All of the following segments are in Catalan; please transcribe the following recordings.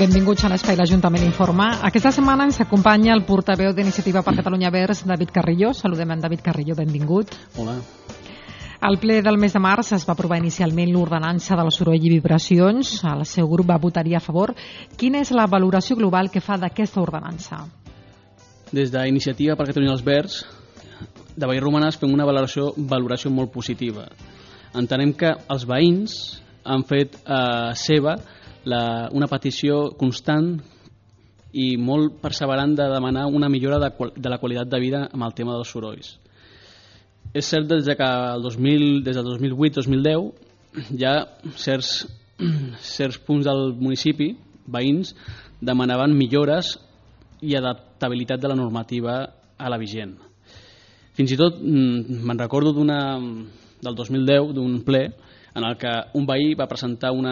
Benvinguts a l'Espai l'Ajuntament Informa. Aquesta setmana ens acompanya el portaveu d'Iniciativa per Catalunya Verds, David Carrillo. Saludem en David Carrillo, benvingut. Hola. Al ple del mes de març es va aprovar inicialment l'ordenança del soroll i vibracions. El seu grup va votar-hi a favor. Quina és la valoració global que fa d'aquesta ordenança? Des d'Iniciativa per Catalunya Verds de Vallromanes fem una valoració molt positiva. Entenem que els veïns han fet seva una petició constant i molt perseverant de demanar una millora de la qualitat de vida amb el tema dels sorolls. És cert des del 2008-2010 hi ha certs punts del municipi, veïns, demanaven millores i adaptabilitat de la normativa a la vigent. Fins i tot me'n recordo del 2010 d'un ple en el que un veí va presentar un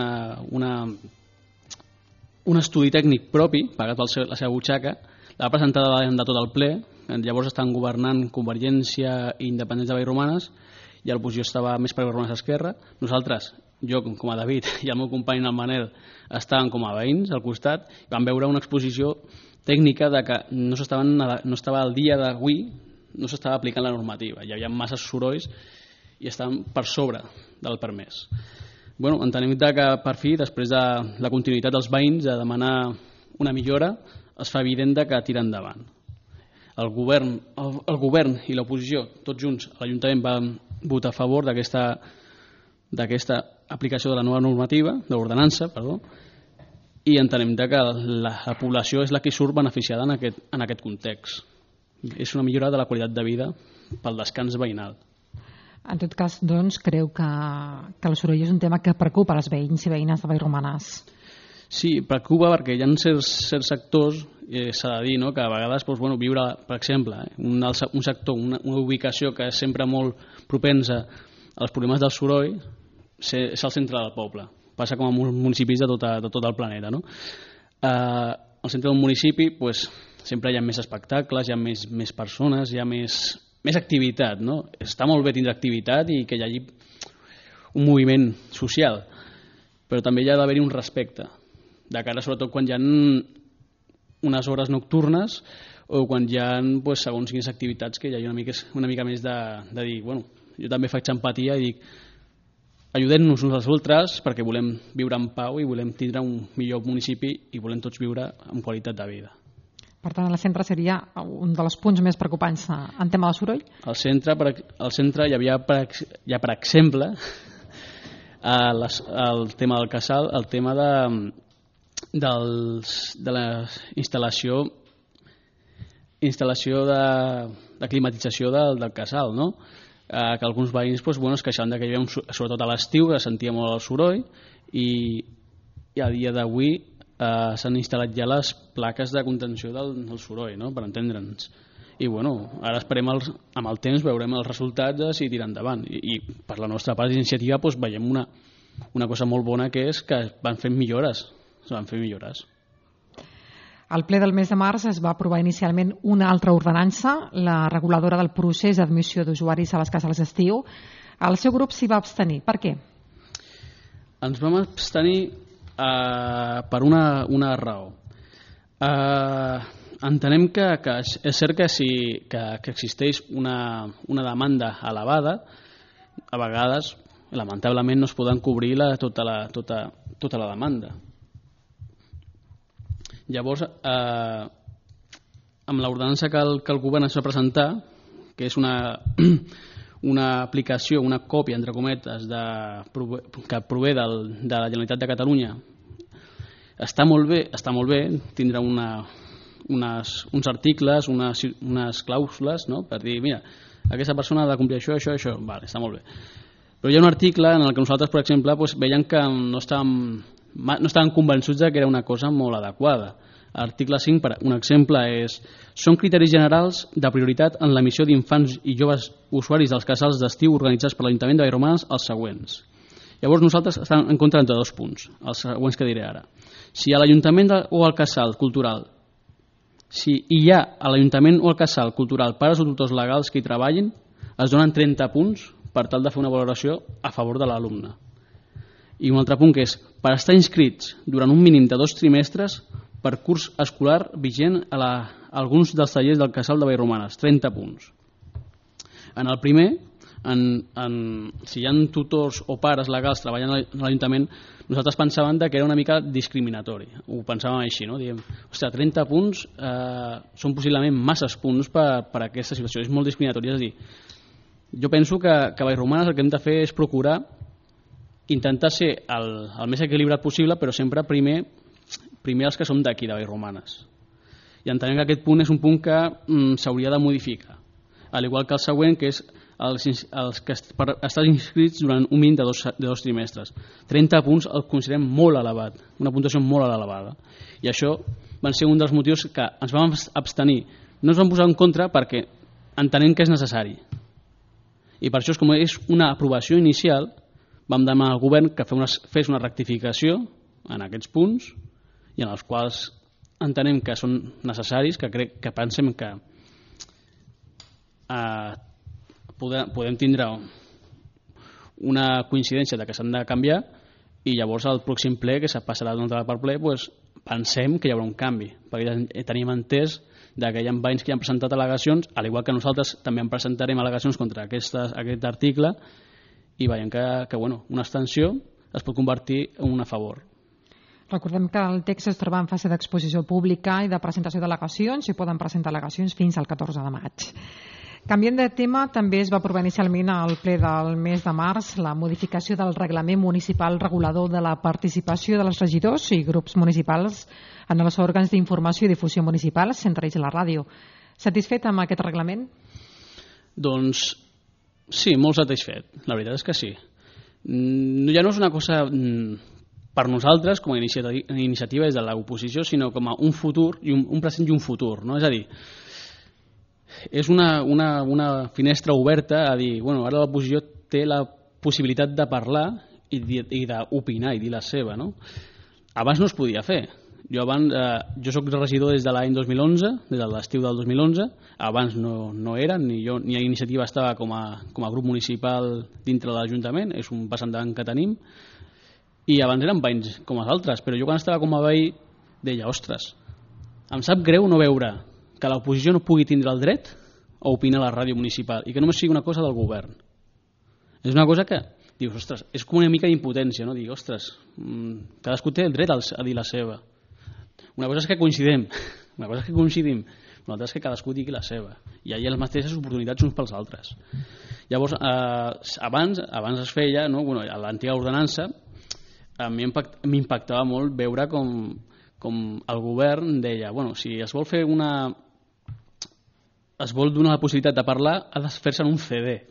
estudi tècnic propi, pagat per la seva butxaca, la va presentar davant de tot el ple. Llavors estaven governant Convergència i Independents de Vallromanes i l'oposició estava més per Vallromanes Esquerra. Nosaltres, jo com a David i el meu company el Manel, estàvem com a veïns al costat i vam veure una exposició tècnica de que no estava al dia d'avui, no s'estava aplicant la normativa. Hi havia massa sorolls i estaven per sobre del permès. Entenem que per fi, després de la continuïtat dels veïns de demanar una millora, es fa evident que tira endavant. El govern i l'oposició, tots junts, a l'Ajuntament van votar a favor d'aquesta aplicació de la nova normativa, de l'ordenança, i entenem que la població és la que surt beneficiada en aquest context. És una millora de la qualitat de vida pel descans veïnal. En tot cas, doncs, creu que el soroll és un tema que preocupa els veïns i veïnes de Vallromanes. Sí, preocupa perquè hi ha certs sectors, s'ha de dir, que a vegades viure, per exemple, un sector, una ubicació que és sempre molt propensa als problemes del soroll, és el centre del poble. Passa com a municipis de tot el planeta. Al centre d'un municipi sempre hi ha més espectacles, hi ha més persones, hi ha més activitat. Està molt bé tindre activitat i que hi hagi un moviment social, però també hi ha d'haver-hi un respecte, de cara sobretot quan hi ha unes hores nocturnes o quan hi ha segons quines activitats que hi ha una mica més de dir, jo també faig empatia i dic, ajudem-nos uns als altres perquè volem viure en pau i volem tindre un millor municipi i volem tots viure amb qualitat de vida. Per tant, el centre seria un dels punts més preocupants en tema de soroll? Al centre hi havia, per exemple, el tema del casal, el tema de la instal·lació de climatització del casal, que alguns veïns es queixaven que hi havia, sobretot a l'estiu, que sentia molt el soroll i a dia d'avui s'han instal·lat ja les plaques de contenció del soroll, per entendre'ns. I ara esperem, amb el temps veurem els resultats de si tirar endavant. I per la nostra part d'iniciativa veiem una cosa molt bona, que és que van fer millores. Al ple del mes de març es va aprovar inicialment una altra ordenança, la reguladora del procés d'admissió d'usuaris a les cases d'estiu. El seu grup s'hi va abstenir. Per què? Ens vam abstenir per una raó. Entenem que és cert que existeix una demanda elevada. A vegades, lamentablement, no es poden cobrir tota la demanda. Llavors, amb l'ordenança que el govern ens va presentar, que és una aplicació, una còpia, entre cometes, que prové de la Generalitat de Catalunya, està molt bé tindre uns articles, unes clàusules, per dir, mira, aquesta persona ha de complir això, vale, està molt bé. Però hi ha un article en el que nosaltres, per exemple, veiem que no estaven convençuts que era una cosa molt adequada. L'article 5, per un exemple, són criteris generals de prioritat en l'emissió d'infants i joves usuaris dels casals d'estiu organitzats per l'Ajuntament de Vallromanes els següents. Llavors nosaltres estem en contra de 2 punts, els següents que diré ara. Si a l'Ajuntament o al casal cultural, si hi ha a l'Ajuntament o al casal cultural pares o tutors legals que hi treballin, es donen 30 punts per tal de fer una valoració a favor de l'alumne. I un altre punt que és per estar inscrits durant un mínim de 2 trimestres per curs escolar vigent a alguns dels tallers del Casal de Vallromanes, 30 punts. En el primer, si hi ha tutors o pares legals treballant a l'Ajuntament, nosaltres pensàvem que era una mica discriminatori. Ho pensàvem així, no? Diem, ostres, 30 punts són possiblement masses punts per aquesta situació. És molt discriminatori. És a dir, jo penso que a Vallromanes el que hem de fer és procurar intentar ser el més equilibrat possible, però sempre primer els que som d'aquí, de Vallromanes. I entenem que aquest punt és un punt que s'hauria de modificar. Al igual que el següent, que és els que estan inscrits durant un mínim de dos trimestres. 30 punts el considerem molt elevat, una puntuació molt elevada. I això van ser un dels motius que ens vam abstenir. No ens vam posar en contra perquè entenem que és necessari. I per això, com és una aprovació inicial, vam demanar al govern que fes una rectificació en aquests punts i en els quals entenem que són necessaris, que pensem que podem tindre una coincidència de que s'han de canviar i llavors al pròxim ple, que se passarà d'un altre per ple, pensem que hi haurà un canvi, perquè ja tenim entès que hi ha veïns que han presentat al·legacions, al igual que nosaltres també en presentarem al·legacions contra aquest article, i veiem que una abstenció es pot convertir en un a favor. Recordem que el text es troba en fase d'exposició pública i de presentació d'al·legacions i poden presentar al·legacions fins al 14 de maig. Canviant de tema, també es va aprovar inicialment al ple del mes de març la modificació del reglament municipal regulador de la participació dels regidors i grups municipals en els òrgans d'informació i difusió municipals, entre ells la ràdio. Satisfet amb aquest reglament? Doncs sí, molt satisfet. La veritat és que sí. Ja no és una cosa per nosaltres com a iniciativa des de l'oposició, sinó com a un futur, un present i un futur. No? És a dir, és una finestra oberta a dir, ara l'oposició té la possibilitat de parlar i d'opinar i dir la seva. No? Abans no es podia fer. Jo soc regidor des de l'any 2011, des de l'estiu del 2011, abans no era, ni a iniciativa estava com a grup municipal dintre de l'Ajuntament, és un pas endavant que tenim, i abans eren veïns com els altres, però jo quan estava com a veí deia, ostres, em sap greu no veure que l'oposició no pugui tindre el dret a opinar a la ràdio municipal i que només sigui una cosa del govern. És una cosa que dius, ostres, és com una mica d'impotència, no? Dir, ostres, cadascú té el dret a dir la seva. Una cosa és que coincidim, l'altra és que cadascú digui la seva. I hi ha les mateixes oportunitats uns pels altres. Llavors, abans es feia, no? A l'antiga ordenança, a mi m'impactava molt veure com el govern deia, si es vol fer es vol donar la possibilitat de parlar, ha de fer-se en un CD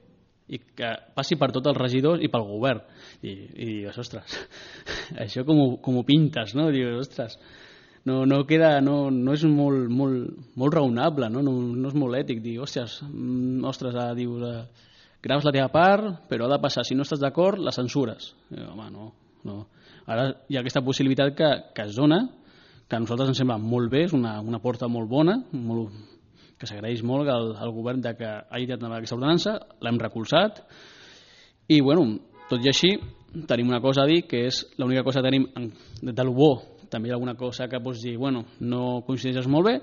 i que passi per tots els regidors i pel govern. I dius, ostres, això com ho pintes, no? Dius, ostres, no és molt raonable, no és molt ètic dir, ostres, dius, graves la teva part, però ha de passar, si no estàs d'acord, la censures. Home, no. Ara hi ha aquesta possibilitat que es dona, que a nosaltres ens sembla molt bé, és una porta molt bona, que s'agraeix molt al govern que hagi tirat endavant aquesta ordenança, l'hem recolzat, i tot i així tenim una cosa a dir, que és l'única cosa que tenim de lo bo, també hi ha alguna cosa que pots dir, no coincideixes molt bé,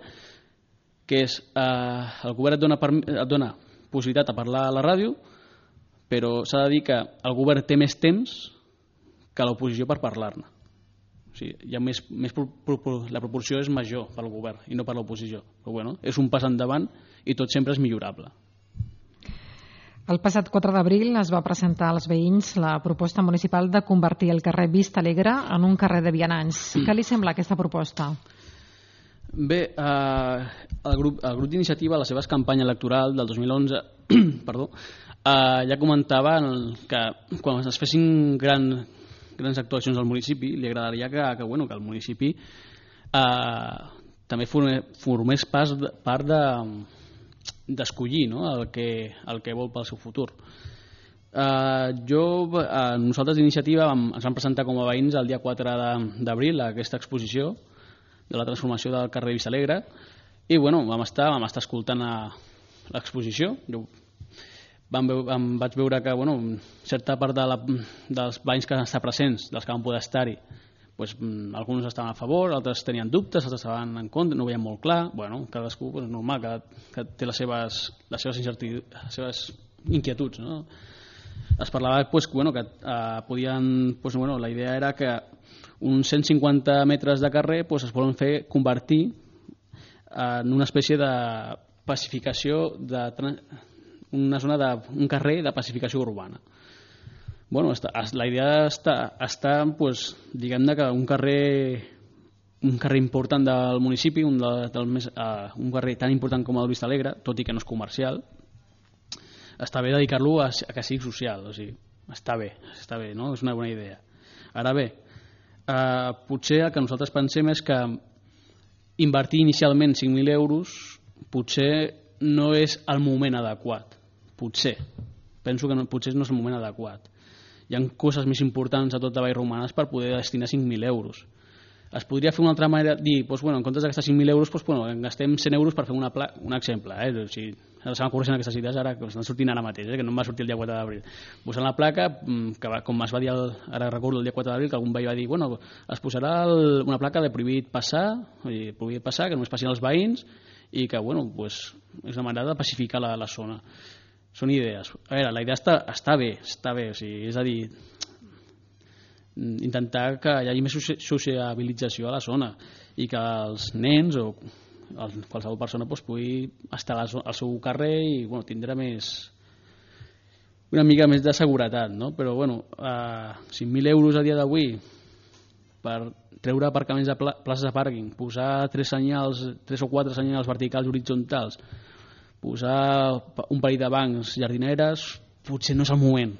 que és el govern et dona possibilitat de parlar a la ràdio, però s'ha de dir que el govern té més temps que l'oposició per parlar-ne. O sigui, la proporció és major pel govern i no per l'oposició. Però és un pas endavant i tot sempre és millorable. El passat 4 d'abril es va presentar als veïns la proposta municipal de convertir el carrer Vista Alegre en un carrer de vianants. Què li sembla aquesta proposta? Bé, el grup d'iniciativa, a la seva campanya electoral del 2011, ja comentava que quan es fessin grans actuacions al municipi, li agradaria que el municipi també formés part d'escollir el que vol pel seu futur. Nosaltres d'iniciativa ens vam presentar com a veïns el dia 4 d'abril a aquesta exposició de la transformació del carrer Vista Alegre i vam estar escoltant l'exposició. vaig veure que certa part dels veïns que estan presents, dels que van poder estar-hi, alguns estaven a favor, altres tenien dubtes, altres estaven en contra, no ho veien molt clar. Cadascú és normal, que té les seves inquietuds, no? Es parlava que podien, la idea era que uns 150 metres de carrer es volen convertir en una espècie de pacificació, una zona d'un carrer de pacificació urbana. La idea està diguem-ne que un carrer important del municipi, un carrer tan important com el Vista Alegre, tot i que no és comercial, està bé dedicar-lo a que sigui social, o sigui, està bé, no? És una bona idea. Ara bé, potser el que nosaltres pensem és que invertir inicialment 5.000 euros potser no és el moment adequat. Penso que potser no és el moment adequat. Hi ha coses més importants a tot de Vallromanes per poder destinar 5.000 euros. Es podria fer una altra manera, dir, en comptes de gastar 5.000 euros, gastem 100 euros per fer un exemple. O sigui, se m'ocorren aquestes idees ara, que estan sortint ara mateix, que no em va sortir el dia 4 d'abril. Posant la placa, que com es va dir, ara recordo el dia 4 d'abril, que algun veí va dir, es posarà una placa de prohibit passar, que només passin els veïns, i que és una manera de pacificar la zona. Són idees. A veure, la idea està bé, o sigui, és a dir, intentar que hi hagi més sociabilització a la zona i que els nens o qualsevol persona pugui estar al seu carrer i tindrà una mica més de seguretat, no? Però 5.000 euros a dia d'avui per treure aparcaments de places de pàrquing, posar 3 o 4 senyals verticals horitzontals, posar un parell de bancs, jardineres, potser no és el moment.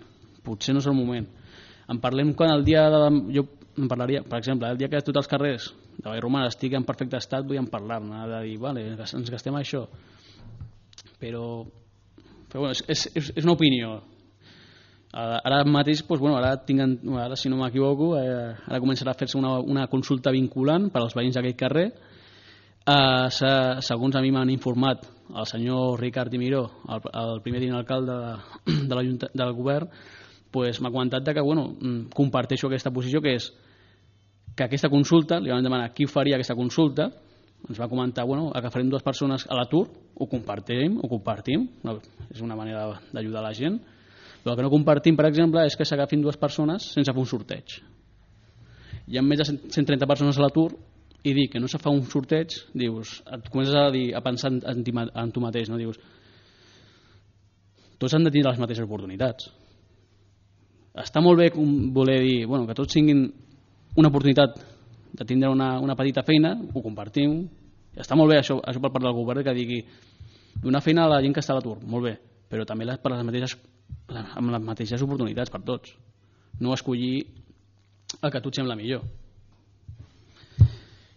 En parlem quan el dia jo en parlaria, per exemple, el dia que tots els carrers de Vallromanes estiguin en perfecte estat, vull parlar-ne, de dir, ens gastem això. Però és una opinió. Ara mateix, ara si no m'equivoco, ara començarà a fer-se una consulta vinculant per als veïns d'aquell carrer. Segons a mi m'han informat el senyor Ricard i Miró, el primer tinent alcalde del govern, m'ha comentat que comparteixo aquesta posició, que és que aquesta consulta, li vam demanar qui faria aquesta consulta, ens va comentar que farem 2 persones a l'atur, ho compartim, és una manera d'ajudar la gent. Però el que no compartim, per exemple, és que s'agafin 2 persones sense fer un sorteig. Hi ha més de 130 persones a l'atur i dir que no se fa un sorteig, dius, et comences a pensar en tu mateix, no? Dius, tots han de tenir les mateixes oportunitats. Està molt bé voler dir que tots tinguin una oportunitat de tindre una petita feina, ho compartim, està molt bé això per part del govern, que digui donar feina a la gent que està a l'atur, molt bé, però també amb les mateixes oportunitats per tots, no escollir el que a tu et sembla millor.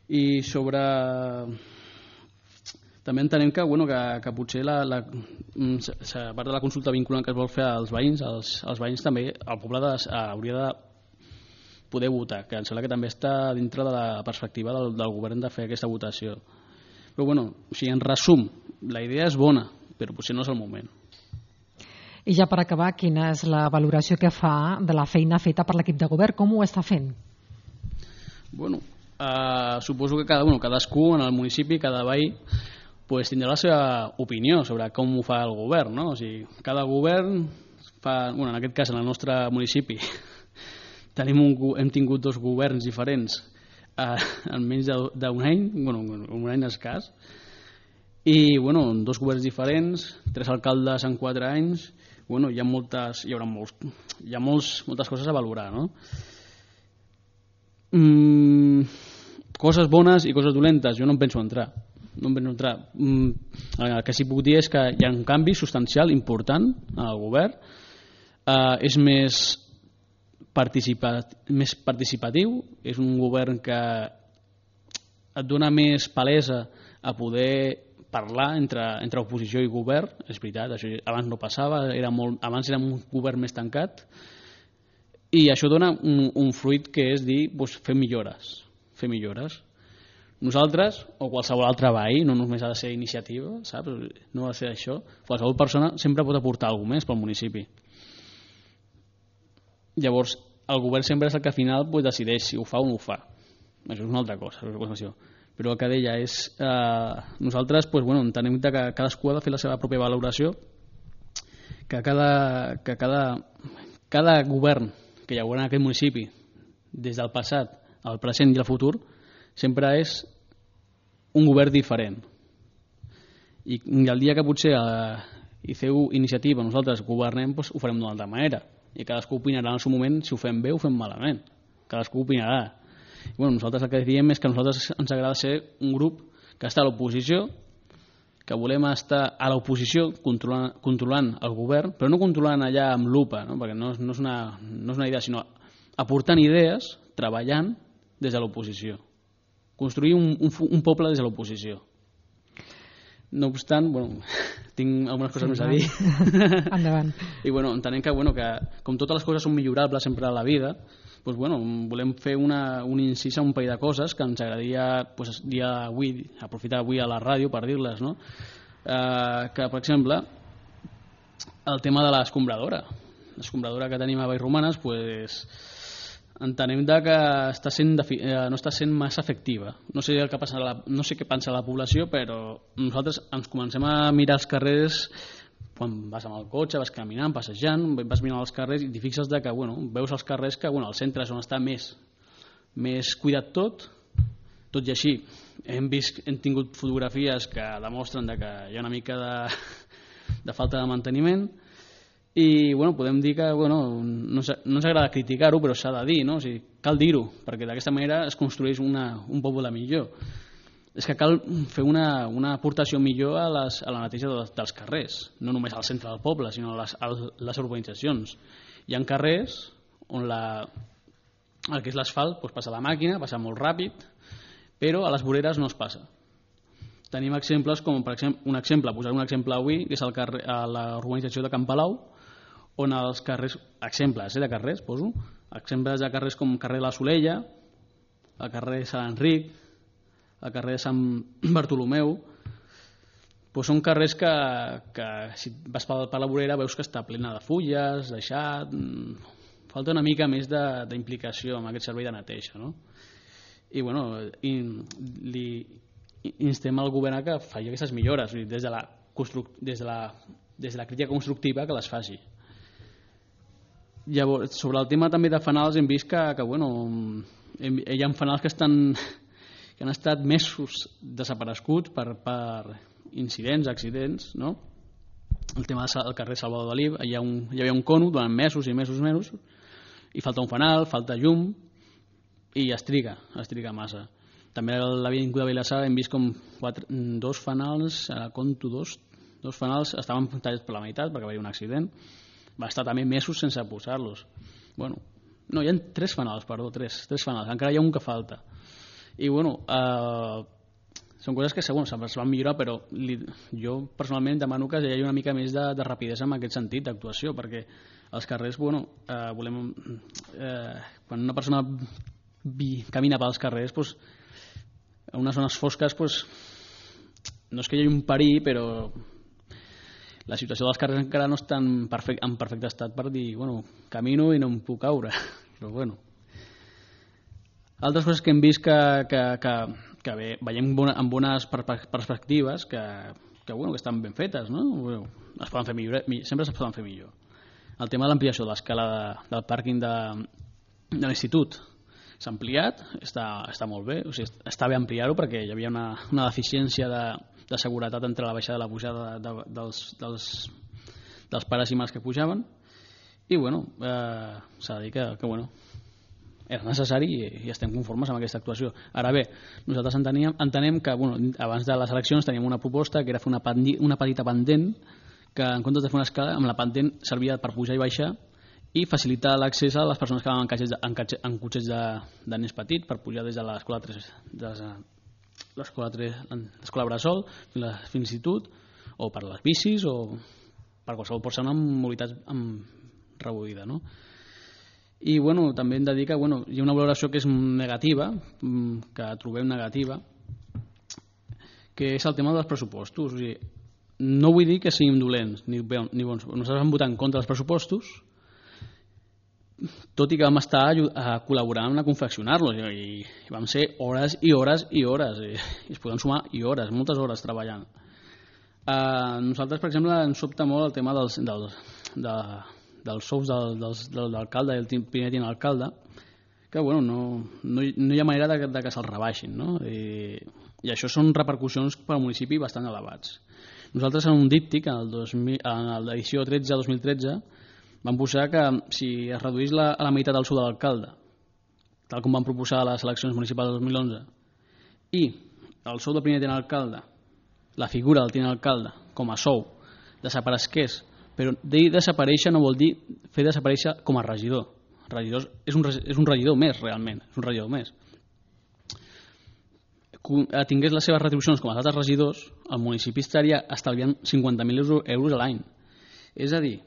I sobre... també entenem que potser a part de la consulta vinculant que es vol fer als veïns, els veïns també, el poble hauria de poder votar, que em sembla que també està dintre de la perspectiva del govern de fer aquesta votació. Però en resum, la idea és bona, però potser no és el moment. I ja per acabar, quina és la valoració que fa de la feina feta per l'equip de govern? Com ho està fent? Suposo que cadascú en el municipi, cada veí, tindrà la seva opinió sobre com ho fa el govern, no? O sigui, cada govern fa, en aquest cas en el nostre municipi hem tingut 2 governs diferents en menys d'un any, un any escàs, i 2 governs diferents, 3 alcaldes en 4 anys, hi ha moltes coses a valorar, no? Coses bones i coses dolentes, jo no em penso entrar. El que sí que puc dir és que hi ha un canvi substancial important al govern, és més participatiu, és un govern que et dona més palesa a poder parlar entre oposició i govern. És veritat, això abans no passava, abans érem un govern més tancat, i això dona un fruit que és dir, fer millores. Nosaltres, o qualsevol altre veí, no només ha de ser iniciativa, saps? No ha de ser això. Qualsevol persona sempre pot aportar alguna més pel municipi. Llavors, el govern sempre és el que al final decideix si ho fa o no ho fa. Això és una altra cosa, però el que deia és nosaltres entenem que cadascú ha de fer la seva pròpia valoració, que cada govern que hi haurà en aquest municipi, des del passat, el present i el futur, sempre és un govern diferent. I el dia que potser hi feu iniciativa, nosaltres governem, doncs ho farem d'una altra manera. I cadascú opinarà en el seu moment si ho fem bé o ho fem malament. Cadascú opinarà. I nosaltres el que diem és que a nosaltres ens agrada ser un grup que està a l'oposició, que volem estar a l'oposició controlant el govern, però no controlant allà amb lupa, no? Perquè no és una idea, sinó aportant idees, treballant des de l'oposició. Construir un poble des de l'oposició. No obstant, tinc algunes coses més a dir. Endavant. I entenem que com totes les coses són millorables sempre a la vida, volem fer un incís a un parell de coses que ens agradaria aprofitar avui a la ràdio per dir-les, no? Que, per exemple, el tema de l'escombradora. L'escombradora que tenim a Vallromanes, entenem que no està sent massa efectiva. No sé què pensa la població, però nosaltres ens comencem a mirar els carrers quan vas amb el cotxe, vas caminant, passejant, vas mirant els carrers i t'hi fixes que veus els carrers que al centre és on està més cuidat tot i així hem tingut fotografies que demostren que hi ha una mica de falta de manteniment. I podem dir que no ens agrada criticar-ho, però s'ha de dir, no? O sigui, cal dir-ho, perquè d'aquesta manera es construeix un poble millor. És que cal fer una aportació millor a la neteja dels carrers, no només al centre del poble, sinó a les urbanitzacions. Hi ha carrers on el que és l'asfalt passa la màquina, passa molt ràpid, però a les voreres no es passa. Tenim exemples com, per exemple, posaré un exemple avui, que és a la urbanització de Can Palau, on els carrers, exemples de carrers, exemples de carrers com carrer de la Solella, el carrer de Sant Enric, el carrer de Sant Bartolomeu, són carrers que si vas per la vorera veus que està plena de fulles, deixat, falta una mica més d'implicació en aquest servei de neteja, no? I li instem al govern que faci aquestes millores, des de la crítica constructiva que les faci. Llavors, sobre el tema també de fanals, hem vist que hi ha fanals que han estat mesos desapareguts per incidents, accidents, no? El tema del carrer Salvador Dalí, hi havia un cono durant mesos i mesos i falta un fanal, falta llum i es triga massa. També a l'avinguda de Vilassar hem vist com dos fanals, compto dos fanals estaven tallats per la meitat perquè va haver un accident. Va estar també mesos sense posar-los. No, hi ha tres fanals, encara hi ha un que falta. I són coses que segons es van millorar, però jo personalment demano que hi hagi una mica més de rapidesa en aquest sentit d'actuació, perquè als carrers volem quan una persona camina pels carrers, en unes zones fosques no és que hi hagi un perill, però la situació dels carrers encara no està en perfecte estat per dir, camino i no em puc caure, però altres coses que hem vist que veiem amb bones perspectives que estan ben fetes, no? Es poden fer millor, sempre es poden fer millor. El tema de l'ampliació de l'escala del pàrquing de l'institut s'ha ampliat, està molt bé, o sigui, està bé ampliar-ho perquè hi havia una deficiència de seguretat entre la baixada i la pujada dels pares i mares que pujaven i s'ha de dir que era necessari i estem conformes amb aquesta actuació. Ara bé, nosaltres entenem que abans de les eleccions teníem una proposta que era fer una petita pendent que en comptes de fer una escala amb la pendent servia per pujar i baixar i facilitar l'accés a les persones que anaven en cotxets de nens petits per pujar des de l'escola Bressol fins a l'institut o per les bicis o per qualsevol persona amb mobilitat reduïda, no? I també hem de dir que hi ha una valoració que és negativa, que trobem negativa, que és el tema dels pressupostos. O sigui, no vull dir que siguin dolents ni bons. Nosaltres vam votar en contra dels pressupostos, tot i que vam estar col·laborant a confeccionar-los i vam ser hores i hores i hores i es poden sumar i hores, moltes hores treballant. Nosaltres, per exemple, ens sobta molt el tema dels sous de l'alcalde i el primer tinent d'alcalde, que bueno, no hi ha manera de que se'ls rebaixin, no? I això són repercussions per al municipi bastant elevats. Nosaltres en un díptic, en l'edició 13-2013, vam posar que si es reduís a la meitat del sou de l'alcalde, tal com van proposar a les eleccions municipals del 2011, i el sou del primer tinent d'alcalde, la figura del tinent d'alcalde com a sou, desaparegués, però dir desaparèixer no vol dir fer desaparèixer com a regidor. Regidors és un regidor més, realment, és un regidor més. Tingués les seves retribucions com els altres regidors, el municipi estaria estalviant 50.000 euros a l'any. És a dir,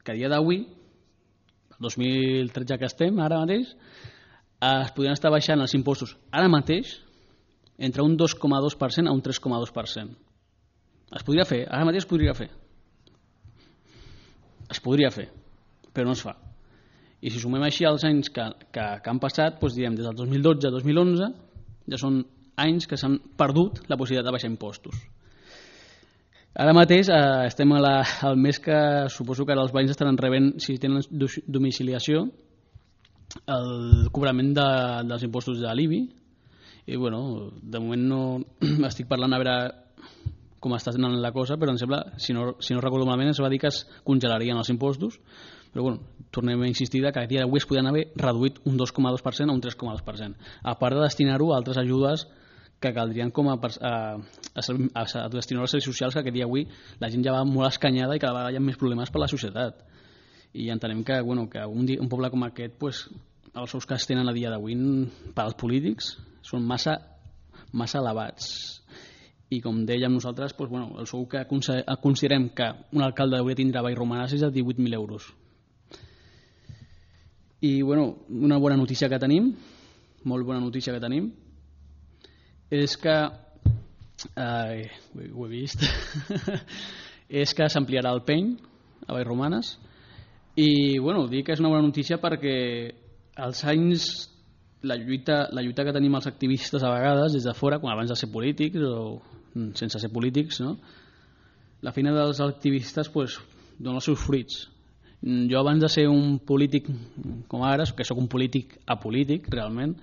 que a dia d'avui, el 2013 que estem ara mateix, es podrien estar baixant els impostos ara mateix entre un 2,2% a un 3,2%. Es podria fer, ara mateix es podria fer. Es podria fer, però no es fa. I si sumem així els anys que han passat, doncs diem, des del 2012 a 2011, ja són anys que s'han perdut la possibilitat de baixar impostos. Ara mateix estem al mes que suposo que ara els veïns estaran rebent, si tenen domiciliació, el cobrament dels impostos de l'IBI. I bueno, de moment no estic parlant a veure com està anant la cosa, però em sembla, si no recordo malament, es va dir que es congelarien els impostos, però bueno, tornem a insistir que a dia d'avui es podien haver reduït un 2,2% a un 3,2%, a part de destinar-ho a altres ajudes que caldrien com a destinar als serveis socials, que a dia d'avui la gent ja va molt escanyada i cada vegada hi ha més problemes per la societat. I entenem que, bueno, que un poble com aquest, pues, els sous que es tenen a dia d'avui per als polítics són massa elevats. I com dèiem nosaltres, doncs, bueno, el sou que considerem que un alcalde hauria de tindre a Vallromanes és de 18.000 euros. I bueno, una bona notícia que tenim, molt bona notícia que tenim, és que ho he vist és que s'ampliarà el peny a Vallromanes. I bueno, dic que és una bona notícia perquè als anys la lluita que tenim els activistes a vegades des de fora, quan abans de ser polítics o sense ser polítics, no? La feina dels activistes pues, dona els seus fruits. Jo abans de ser un polític com ara, que sóc un polític apolític realment,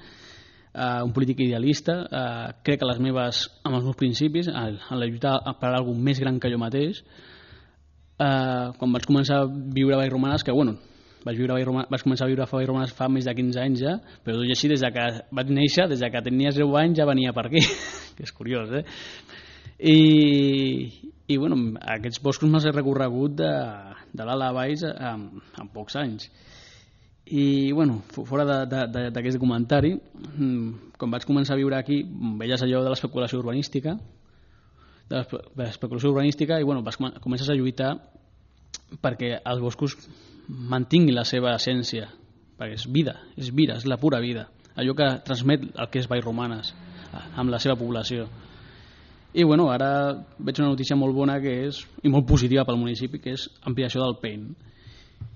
un polític idealista, crec que amb els meus principis, en la lluita per alguna més gran que jo mateix, quan vaig començar a viure a Vallromanes, que bueno, vaig començar a viure a Vallromanes fa més de 15 anys ja, però tot i així, des que vaig néixer, des que tenia 0 anys ja venia per aquí, que és curiós, I bueno, aquests boscos me'ls he recorregut de dalt a baix en pocs anys. I bueno, fora d'aquest comentari, quan vaig començar a viure aquí veies allò de l'especulació urbanística i bueno, comences a lluitar perquè els boscos mantinguin la seva essència, perquè és vida, és la pura vida, allò que transmet el que és Vallromanes amb la seva població. I bueno, ara veig una notícia molt bona i molt positiva pel municipi, que és ampliació del PEN.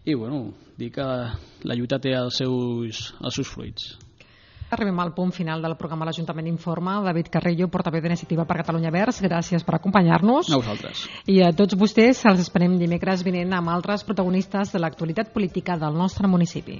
I bueno, dir que la lluita té els seus fruits. Arribem al punt final del programa L'Ajuntament Informa. David Carrillo, portaveu d'Iniciativa per Catalunya Verds, gràcies per acompanyar-nos. A vosaltres. I a tots vostès els esperem dimecres vinent amb altres protagonistes de l'actualitat política del nostre municipi.